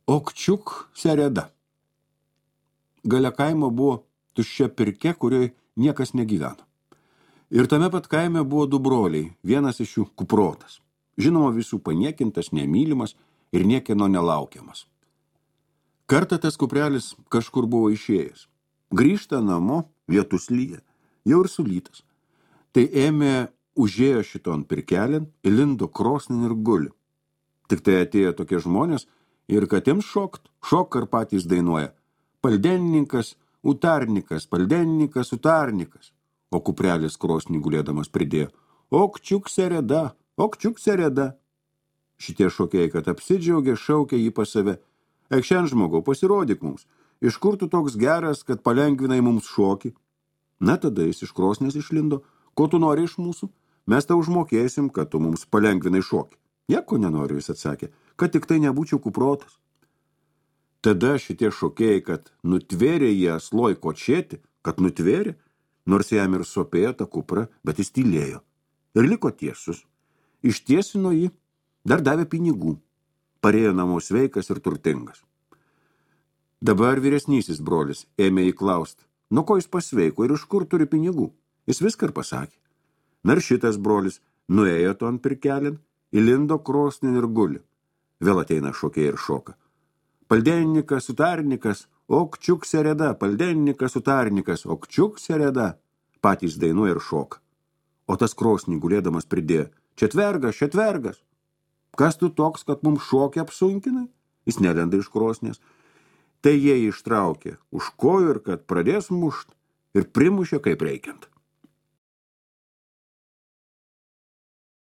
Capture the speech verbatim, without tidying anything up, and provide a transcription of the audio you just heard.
Okčiuk sereda. Gale kaimo buvo tuščia pirkia, kurioje niekas negyveno. Ir tame pat kaime buvo du broliai, vienas iš jų kuprotas. Žinoma, visų paniekintas, nemylimas ir niekieno nelaukiamas. Kartą tas kuprelis kažkur buvo išėjęs. Grįžta namo, lietus lyja, jau ir sulytas. Tai ėmė užėjo šiton pirkelin, įlindo krosnin ir guli. Tik tai atėjo tokie žmonės ir kad jiems šokt, šok ar patys dainuoja. Paldennikas, utarnikas, paldennikas, utarnikas. O kuprelis krosnį gulėdamas pridėjo. Okčiuk sereda, okčiuk sereda. Šitie šokėjai, kad apsidžiaugė, šaukė jį pas save. Ekšen žmogau, pasirodyk mums. Iš kur tu toks geras, kad palengvinai mums šokį? Na, tada jis iš krosnės išlindo. Ko tu nori iš mūsų? Mes tau užmokėsim, kad tu mums palengvinai šokį. Nieko nenoriu, jis atsakė, kad tik tai nebūčiau kuprotas. Tada šitie šokėjai, kad nutvėrė jį asloj kočėti, kad nutvėrė, nors jam ir sopėjo tą kuprą, bet jis tylėjo. Ir liko tiesus. Ištiesino jį, dar davė pinigų. Parėjo namo sveikas ir turtingas. Dabar vyresnysis brolis ėmė jį klaust, nuo ko jis pasveiko ir iš kur turi pinigų. Jis viską ir pasakė. Na ir šitas brolis nuėjo ton pirkelin, įlindo krosnin ir guli. Vėl ateina šokėjai ir šoka. Paldennikas, utarnikas, okčiuk sereda, paldennikas, utarnikas, okčiuk sereda. Patys dainuoja ir šoka. O tas krosnį gulėdamas pridėjo. Četvergas, četvergas. Kas tu toks, kad mums šokį apsunkinai? Jis nelenda iš krosnės. Tai jie ištraukė už kojų ir kad pradės mušt ir primušė kaip reikiant.